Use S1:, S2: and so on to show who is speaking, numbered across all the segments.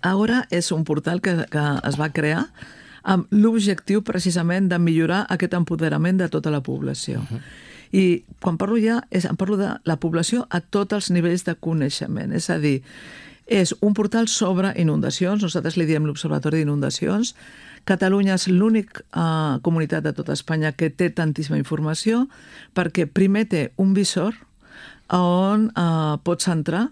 S1: Ara és un portal que es va crear amb l'objectiu precisament de millorar aquest empoderament de tota la població. I quan parlo ja, em parlo de la població a tots els nivells de coneixement. És a dir, és un portal sobre inundacions, nosaltres li diem l'Observatori d'Inundacions. Catalunya és l'única comunitat de tota Espanya que té tantíssima informació perquè primer té un visor on pots entrar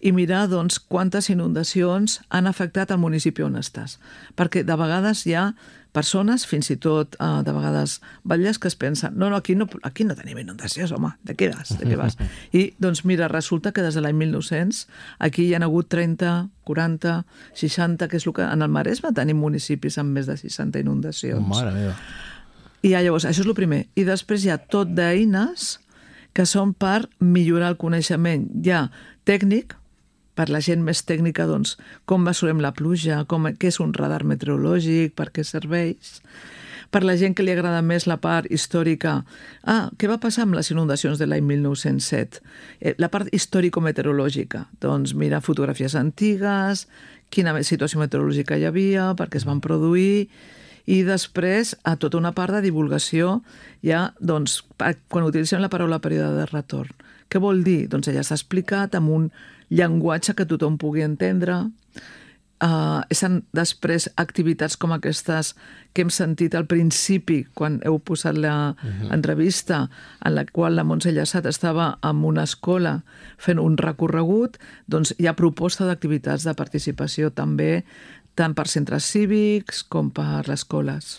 S1: i mirar doncs, quantes inundacions han afectat el municipi on estàs. Perquè de vegades hi ha persones, fins i tot de vegades batlles, que es pensen aquí no tenim inundacions, home, de què vas? I doncs mira, resulta que des de l'any 1900 aquí hi ha hagut 30, 40, 60, que és el que en el Maresme tenim municipis amb més de 60 inundacions.
S2: Mare meva.
S1: I llavors, això és el primer. I després hi ha tot d'eines que són per millorar el coneixement ja tècnic, per la gent més tècnica, doncs, com mesurem la pluja, què és un radar meteorològic, per què serveix. Per la gent que li agrada més la part històrica, què va passar amb les inundacions de l'any 1907? La part històrico-meteorològica, doncs mira fotografies antigues, quina situació meteorològica hi havia, per què es van produir, i després a tota una part de divulgació, ja, doncs, quan utilitzem la paraula període de retorn. Què vol dir? Doncs ja s'ha explicat amb un llenguatge que tothom pugui entendre. Després activitats com aquestes que hem sentit al principi quan heu posat l'entrevista, en la qual la Montse Llassat estava en una escola fent un recorregut, doncs hi ha proposta d'activitats de participació també, tant per centres cívics com per les escoles.